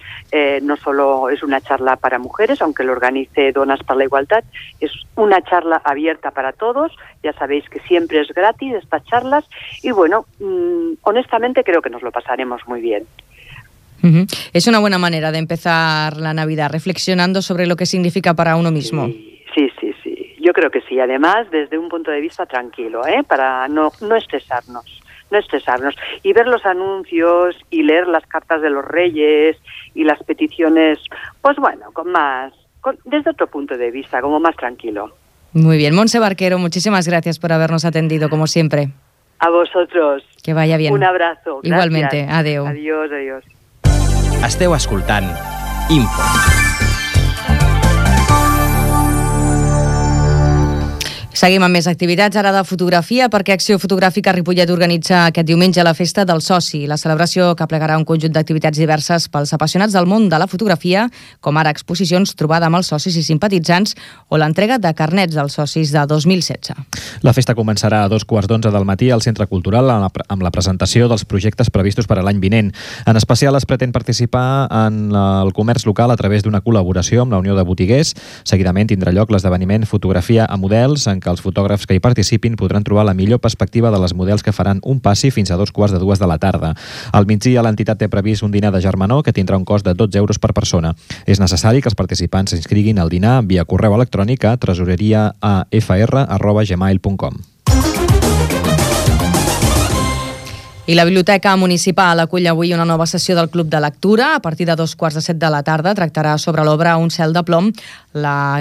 No solo es una charla para mujeres, aunque lo organice Donas para la Igualdad, es una charla abierta para todos. Ya sabéis que siempre es gratis estas charlas y bueno, honestamente creo que nos lo pasaremos muy bien. Es una buena manera de empezar la Navidad, reflexionando sobre lo que significa para uno mismo. Sí. Yo creo que sí. Además, desde un punto de vista tranquilo, para no estresarnos. Y ver los anuncios y leer las cartas de los reyes y las peticiones, pues bueno, desde otro punto de vista, como más tranquilo. Muy bien. Montse Barquero, muchísimas gracias por habernos atendido, como siempre. A vosotros. Que vaya bien. Un abrazo. Gracias. Igualmente. Adeu. Adiós. Esteu escoltant Info. Seguim amb més activitats, ara de fotografia, perquè Acció Fotogràfica Ripollet organitza aquest diumenge la Festa del Soci, la celebració que plegarà un conjunt d'activitats diverses pels apassionats del món de la fotografia, com ara exposicions, trobada amb els socis i simpatitzants o l'entrega de carnets dels socis de 2016. La festa començarà a 2:15 del matí al Centre Cultural amb la presentació dels projectes previstos per a l'any vinent. En especial es pretén participar en el comerç local a través d'una col·laboració amb la Unió de Botiguers. Seguidament tindrà lloc l'esdeveniment Fotografia a Models, en què els fotògrafs que hi participin podran trobar la millor perspectiva de les models que faran un passi fins a 2:15 de la tarda. Al migdia, l'entitat té previst un dinar de germanor que tindrà un cost de 12 euros per persona. És necessari que els participants s'inscriguin al dinar via correu electrònic a tresoreria@fr@gmail.com. I la Biblioteca Municipal acull avui una nova sessió del Club de Lectura. A partir de 2:15 de la tarda tractarà sobre l'obra Un cel de plom, la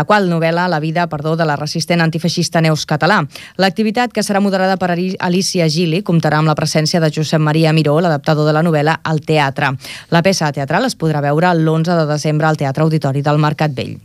qual novel·la la vida de la resistent antifeixista Neus Català. L'activitat, que serà moderada per Alicia Gili, comptarà amb la presència de Josep Maria Miró, l'adaptador de la novel·la, al teatre. La peça teatral es podrà veure l'11 de desembre al Teatre Auditori del Mercat Vell.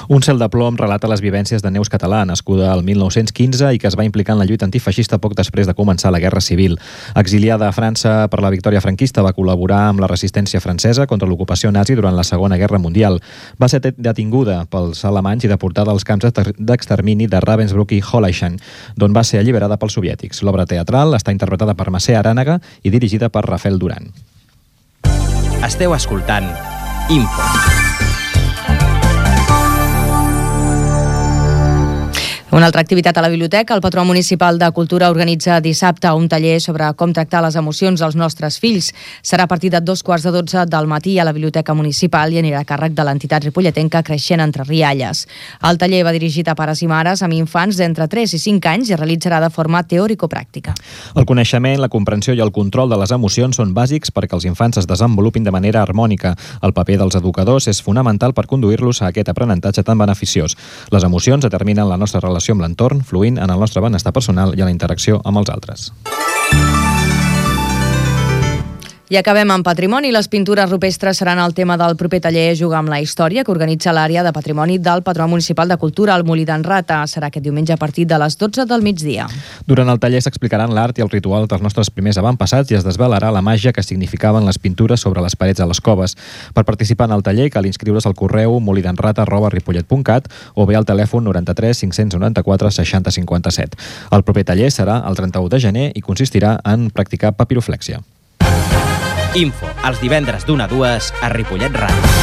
Un cel de plom relata les vivències de Neus Català, nascuda el 1915 i que es va implicar en la lluita antifeixista poc després de començar la Guerra Civil. Exiliada a França per la victòria franquista, va col·laborar amb la resistència francesa contra l'ocupació nazi durant la Segona Guerra Mundial. Va ser detinguda pels alemanys i deportada als camps d'extermini de Ravensbrück i Holleischen, d'on va ser alliberada pels soviètics. L'obra teatral està interpretada per Mercè Arànega i dirigida per Rafael Duran. Esteu escoltant Info. Una altra activitat a la biblioteca, el Patró Municipal de Cultura organitza dissabte un taller sobre com tractar les emocions dels nostres fills. Serà a partir de 2:15 del matí a la Biblioteca Municipal i anirà a càrrec de l'entitat ripolletenca Creixent Entre Rialles. El taller va dirigit a pares i mares amb infants d'entre 3 i 5 anys i es realitzarà de forma teòrico-pràctica. El coneixement, la comprensió i el control de les emocions són bàsics perquè els infants es desenvolupin de manera harmònica. El paper dels educadors és fonamental per conduir-los a aquest aprenentatge tan beneficiós. Les emocions determinen la nostra relació amb l'entorn, fluint en el nostre benestar personal i en la interacció amb els altres. I acabem amb patrimoni. Les pintures rupestres seran el tema del proper taller Jugar amb la història, que organitza l'àrea de patrimoni del Patronat Municipal de Cultura al Molí d'en Rata. Serà aquest diumenge a partir de les 12 del migdia. Durant el taller s'explicaran l'art i el ritual dels nostres primers avantpassats i es desvelarà la màgia que significaven les pintures sobre les parets de les coves. Per participar en el taller cal inscriure's al correu molidenrata@ripollet.cat o bé al telèfon 93 594 60 57. El proper taller serà el 31 de gener i consistirà en practicar papiroflèxia. Info, els divendres d'1 a 2 a Ripollet Ràdio.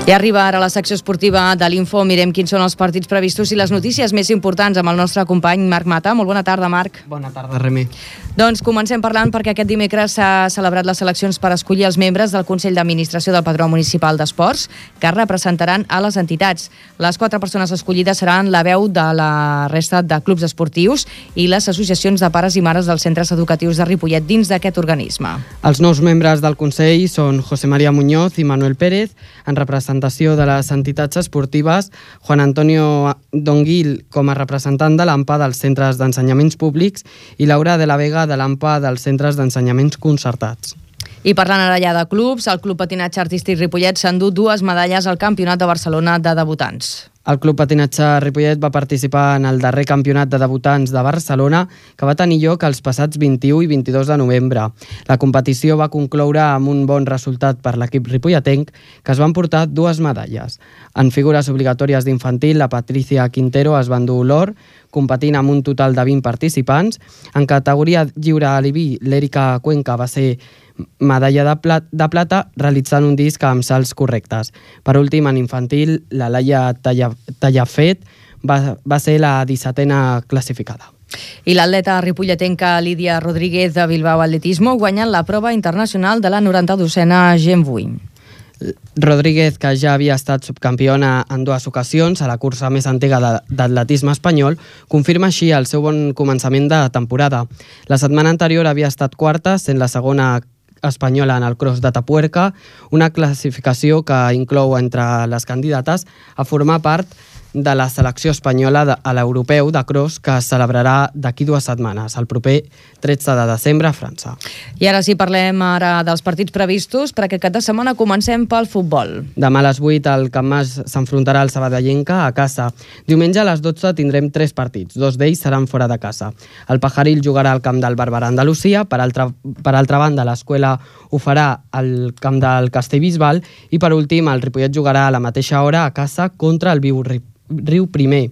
I arriba ara la secció esportiva de l'Info. Mirem quins són els partits previstos i les notícies més importants amb el nostre company Marc Mata. Molt bona tarda, Marc. Bona tarda, Remi. Doncs comencem parlant perquè aquest dimecres s'ha celebrat les eleccions per escollir els membres del Consell d'Administració del Patronat Municipal d'Esports, que representaran a les entitats. Les 4 persones escollides seran la veu de la resta de clubs esportius i les associacions de pares i mares dels centres educatius de Ripollet dins d'aquest organisme. Els nous membres del Consell són José María Muñoz i Manuel Pérez, en representació de les entitats esportives, Juan Antonio Donguil com a representant de l'AMPA dels centres d'ensenyaments públics i Laura de la Vega de l'AMPA dels centres d'ensenyaments concertats. I parlant ara ja de clubs, el Club Patinatge Artístic Ripollet s'endú 2 medalles al Campionat de Barcelona de debutants. El Club Patinatge Ripollet va participar en el darrer campionat de debutants de Barcelona, que va tenir lloc els passats 21 i 22 de novembre. La competició va concloure amb un bon resultat per l'equip ripolletenc, que es van portar 2 medalles. En figures obligatòries d'infantil, la Patricia Quintero es va endur l'or, competint amb un total de 20 participants. En categoria lliure aliví, l'Èrica Cuenca va ser medalla de plata, realitzant un disc amb salts correctes. Per últim, en infantil, la Laia Tallafet va ser la 17a classificada. I l'atleta ripolletenca Lídia Rodríguez de Bilbao Atletismo guanyant la prova internacional de la 92a Gen 8. Rodríguez, que ja havia estat subcampiona en 2 ocasions a la cursa més antiga d'atletisme espanyol, confirma així el seu bon començament de temporada. La setmana anterior havia estat quarta, sent la segona espanyola en el cross de Tapuerca, una classificació que inclou entre les candidates a formar part de la selecció espanyola a l'europeu de cross que es celebrarà d'aquí 2 setmanes, el proper 13 de desembre a França. I ara sí, parlem ara dels partits previstos. Per aquest cap de setmana comencem pel futbol. Demà a les 8 el Camp Mas s'enfrontarà al Sabadellenca a casa. Diumenge a les 12 tindrem 3 partits, 2 d'ells seran fora de casa. El Pajaril jugarà al camp del Barberà Andalusia, per altra banda l'Escuela ho farà al camp del Castellbisbal i per últim el Ripollet jugarà a la mateixa hora a casa contra el Riu Primer.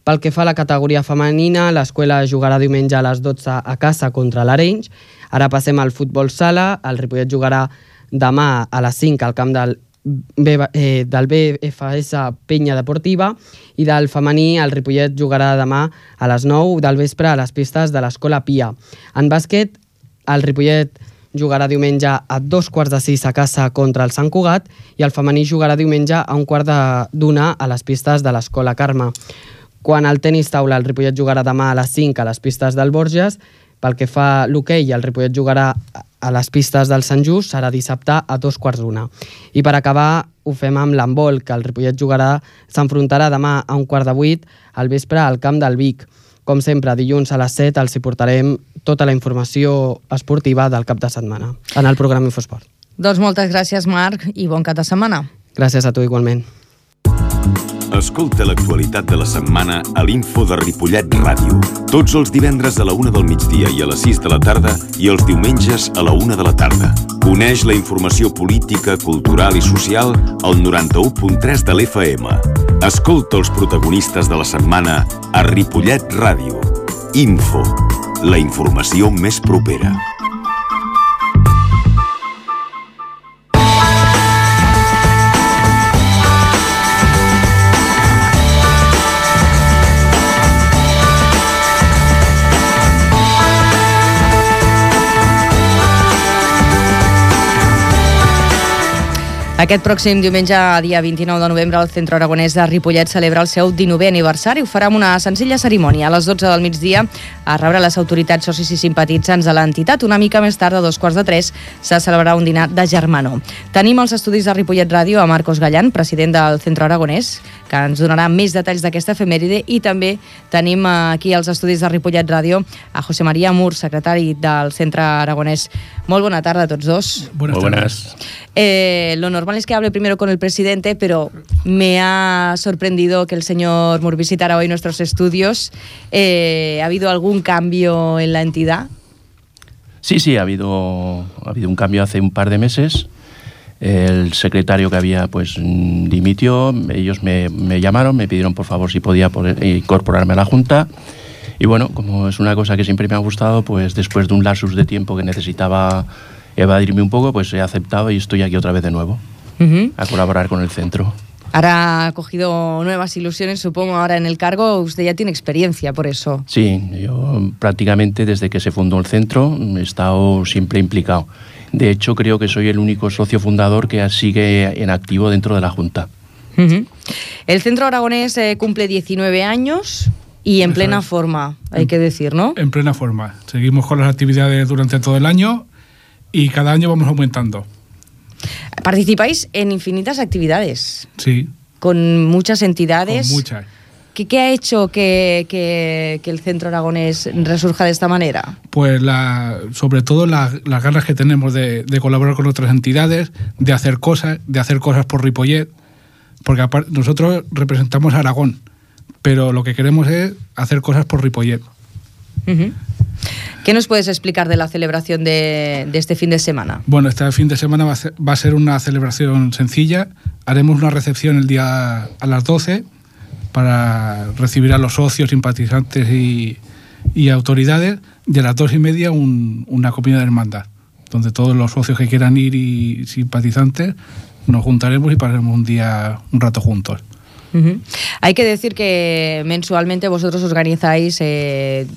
Pel que fa a la categoria femenina, l'Escuela jugarà diumenge a les 12 a casa contra l'Arenys. Ara passem al futbol sala. El Ripollet jugarà demà a les 5 al camp del BFS Penya Deportiva i del femení el Ripollet jugarà demà a les 9 del vespre a les pistes de l'Escola Pia. En bàsquet, el Ripollet jugarà diumenge a 2:45 a casa contra el Sant Cugat i el femení jugarà diumenge a 1:45 a les pistes de l'Escola Carme. Quan al tenis taula, el Ripollet jugarà demà a les 5 a les pistes del Borges. Pel que fa a l'hoquei, el Ripollet jugarà a les pistes del Sant Just, serà dissabte a 2:15. I per acabar, ho fem amb l'handbol, que el Ripollet s'enfrontarà demà a 7:15 al vespre al camp del Vic. Com sempre, dilluns a les 7 els hi portarem tota la informació esportiva del cap de setmana en el programa Infosport. Doncs moltes gràcies, Marc, i bon cap de setmana. Gràcies a tu igualment. Escolta l'actualitat de la setmana a l'Info de Ripollet Ràdio. Tots els divendres a la 1 del migdia i a les 6 de la tarda i els diumenges a la 1 de la tarda. Coneix la informació política, cultural i social al 91.3 de l'FM. Escolta els protagonistes de la setmana a Ripollet Ràdio. Info, la informació més propera. Aquest pròxim diumenge, dia 29 de novembre, el Centre Aragonès de Ripollet celebra el seu 19è aniversari. Ho farà amb una senzilla cerimònia. A les 12 del migdia a rebre les autoritats, socis i simpatitzants de l'entitat. Una mica més tard, a 2:15, se celebrarà un dinar de germanor. Tenim als estudis de Ripollet Ràdio a Marcos Gallan, president del Centre Aragonès, que ens donarà més detalls d'aquesta efemèride, i també tenim aquí als estudis de Ripollet Ràdio a José María Mur, secretari del Centre Aragonès. Molt bona tarda a tots dos. Buenas. Lo normal es que hable primero con el presidente, pero me ha sorprendido que el señor Mur visitara hoy nuestros estudios. ¿Ha habido algún cambio en la entidad? Sí, ha habido un cambio hace un par de meses. El secretario que había pues dimitió, ellos me llamaron, me pidieron por favor si podía incorporarme a la Junta. Y bueno, como es una cosa que siempre me ha gustado, pues después de un lapsus de tiempo que necesitaba evadirme un poco, pues he aceptado y estoy aquí otra vez de nuevo a colaborar con el centro. Ahora ha cogido nuevas ilusiones, supongo, ahora en el cargo. Usted ya tiene experiencia, por eso. Sí, yo prácticamente desde que se fundó el centro he estado siempre implicado. De hecho, creo que soy el único socio fundador que sigue en activo dentro de la Junta. El Centro Aragonés cumple 19 años y en plena forma, hay que decir, ¿no? En plena forma. Seguimos con las actividades durante todo el año y cada año vamos aumentando. Participáis en infinitas actividades. Sí. Con muchas entidades. Con muchas. ¿Qué ha hecho que el Centro Aragonés resurja de esta manera? Pues sobre todo las ganas que tenemos de colaborar con otras entidades, de hacer cosas por Ripollet, porque nosotros representamos a Aragón, pero lo que queremos es hacer cosas por Ripollet. ¿Qué nos puedes explicar de la celebración de este fin de semana? Bueno, este fin de semana va a ser una celebración sencilla. Haremos una recepción el día a las 12 para recibir a los socios, simpatizantes y autoridades, y a las 2:30 una comida de hermandad, donde todos los socios que quieran ir y simpatizantes nos juntaremos y pasaremos un rato juntos. Hay que decir que mensualmente vosotros organizáis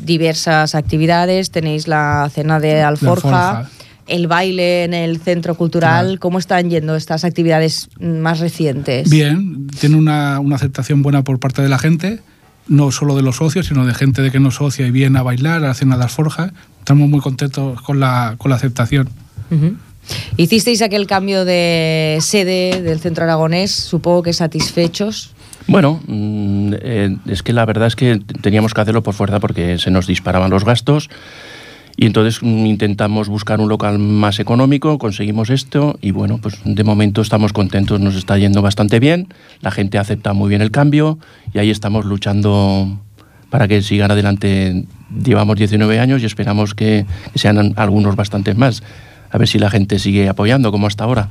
diversas actividades, tenéis la cena de Alforja, el baile en el Centro Cultural. Claro. ¿Cómo están yendo estas actividades más recientes? Bien, tiene una aceptación buena por parte de la gente, no solo de los socios, sino de gente de que no es socia y viene a bailar a la cena de Alforja. Estamos muy contentos con la aceptación. ¿Hicisteis aquel cambio de sede del Centro Aragonés? Supongo que satisfechos. Bueno, es que la verdad es que teníamos que hacerlo por fuerza porque se nos disparaban los gastos y entonces intentamos buscar un local más económico, conseguimos esto y bueno, pues de momento estamos contentos, nos está yendo bastante bien, la gente acepta muy bien el cambio y ahí estamos luchando para que sigan adelante. Llevamos 19 años y esperamos que sean algunos bastantes más, a ver si la gente sigue apoyando como hasta ahora.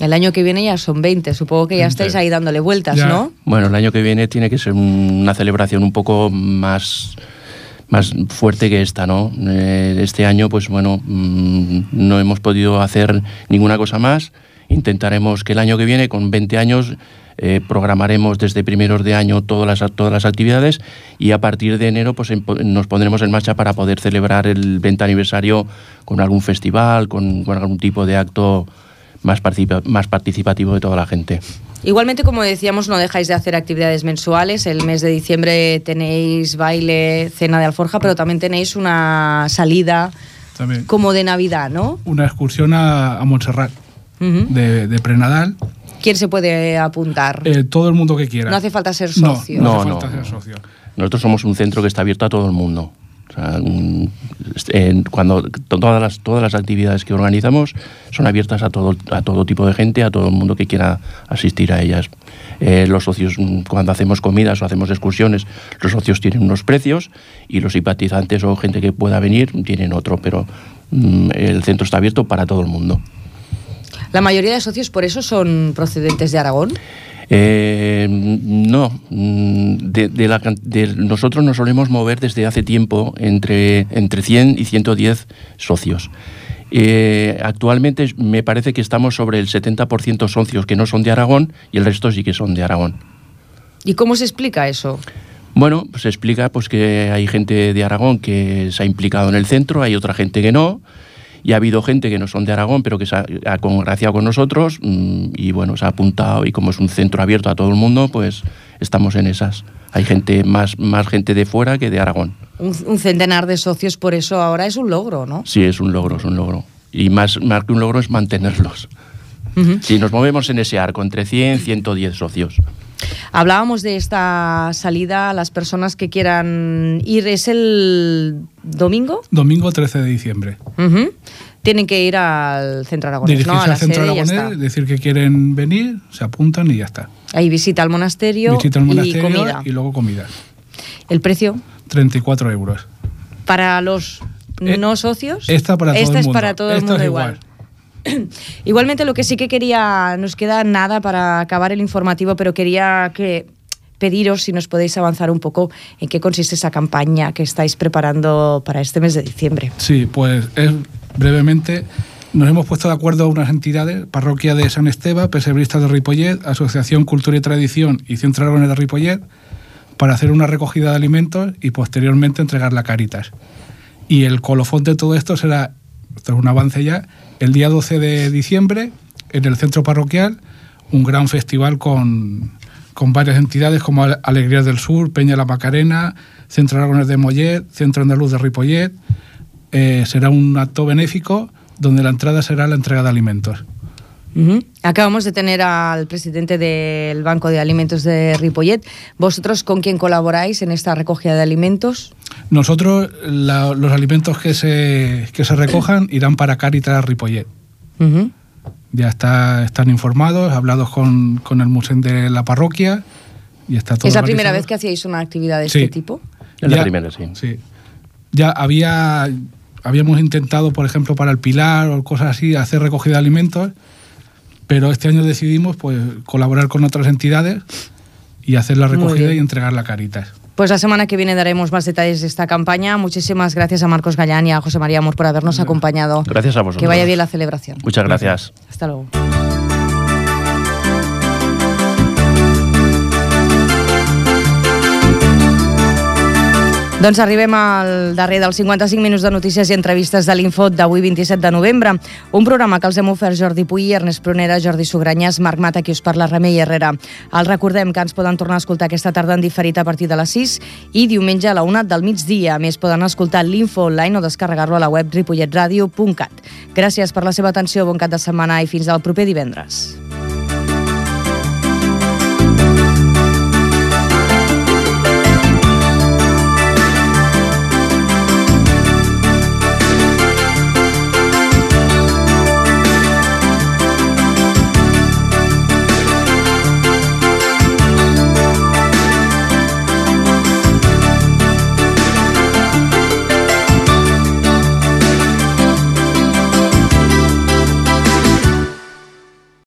El año que viene ya son 20, supongo que ya estáis ahí dándole vueltas, ya. ¿No? Bueno, el año que viene tiene que ser una celebración un poco más fuerte que esta, ¿no? Este año, pues bueno, no hemos podido hacer ninguna cosa más. Intentaremos que el año que viene, con 20 años, programaremos desde primeros de año todas las actividades y a partir de enero pues nos pondremos en marcha para poder celebrar el 20 aniversario con algún festival, con algún tipo de acto más participativo de toda la gente. Igualmente, como decíamos, no dejáis de hacer actividades mensuales. El mes de diciembre tenéis baile, cena de Alforja, pero también tenéis una salida también, como de Navidad, ¿no? Una excursión a Montserrat, de Prenadal. ¿Quién se puede apuntar? Todo el mundo que quiera. No hace falta ser socio. No hace falta ser socio. Nosotros somos un centro que está abierto a todo el mundo. O sea, cuando todas las actividades que organizamos son abiertas a todo tipo de gente, a todo el mundo que quiera asistir a ellas. Los socios, cuando hacemos comidas o hacemos excursiones, los socios tienen unos precios y los simpatizantes o gente que pueda venir tienen otro, pero el centro está abierto para todo el mundo. ¿La mayoría de socios por eso son procedentes de Aragón? No, nosotros nos solemos mover desde hace tiempo entre 100 y 110 socios. Actualmente me parece que estamos sobre el 70% socios que no son de Aragón y el resto sí que son de Aragón. ¿Y cómo se explica eso? Bueno, pues se explica pues que hay gente de Aragón que se ha implicado en el centro, hay otra gente que no. y ha habido gente que no son de Aragón, pero que se ha congraciado con nosotros y bueno, se ha apuntado, y como es un centro abierto a todo el mundo, pues estamos en esas. Hay gente, más gente de fuera que de Aragón. Un centenar de socios, por eso ahora es un logro, ¿no? Sí, es un logro. Y más que un logro es mantenerlos. Si nos movemos en ese arco, entre 100 y 110 socios. Hablábamos de esta salida, las personas que quieran ir, ¿es el domingo? Domingo 13 de diciembre. Tienen que ir al Centro Aragonés, dirigirse ¿no? A la al Centro sede, Aragonés, decir que quieren venir, se apuntan y ya está. Ahí visita al monasterio, y comida. Y luego comida. ¿El precio? 34 euros. ¿Para los no socios? Esta para todo el mundo. Es para todo el mundo igual. Igualmente, lo que sí que quería, nos queda nada para acabar el informativo, pero quería pediros si nos podéis avanzar un poco en qué consiste esa campaña que estáis preparando para este mes de diciembre. Sí, pues brevemente nos hemos puesto de acuerdo unas entidades, Parroquia de San Esteban, Pesebristas de Ripollet, Asociación Cultura y Tradición y Centro Aragonés de Ripollet, para hacer una recogida de alimentos y posteriormente entregarla a Cáritas. Y el colofón de todo esto será, esto es un avance ya, el día 12 de diciembre, en el centro parroquial, un gran festival con varias entidades como Alegrías del Sur, Peña La Macarena, Centro Aragonés de Mollet, Centro Andaluz de Ripollet. Será un acto benéfico donde la entrada será la entrega de alimentos. Acabamos de tener al presidente del Banco de Alimentos de Ripollet. ¿Vosotros con quién colaboráis en esta recogida de alimentos? Nosotros, los alimentos que se recojan irán para Cáritas Ripollet. Ya están informados, hablados con el museo de la parroquia y está todo. ¿Es la primera vez que hacíais una actividad de este tipo? Es la primera, sí. Ya habíamos intentado, por ejemplo, para el Pilar o cosas así, hacer recogida de alimentos, pero este año decidimos pues colaborar con otras entidades y hacer la recogida y entregarla a Cáritas. Pues la semana que viene daremos más detalles de esta campaña. Muchísimas gracias a Marcos Gallán y a José María Amor por habernos acompañado. Gracias a vosotros. Que vaya bien la celebración. Muchas gracias. Hasta luego. Doncs arribem al darrer dels 55 minuts de notícies i entrevistes de l'Info d'avui 27 de novembre. Un programa que els hem ofert Jordi Puy, Ernest Prunera, Jordi Sugranyes, Marc Mata, qui us parla, Remei Herrera. Els recordem que ens poden tornar a escoltar aquesta tarda en diferit a partir de les 6 i diumenge a la 1 del migdia. A més, poden escoltar l'Info online o descarregar-lo a la web ripolletradio.cat. Gràcies per la seva atenció, bon cap de setmana i fins al proper divendres.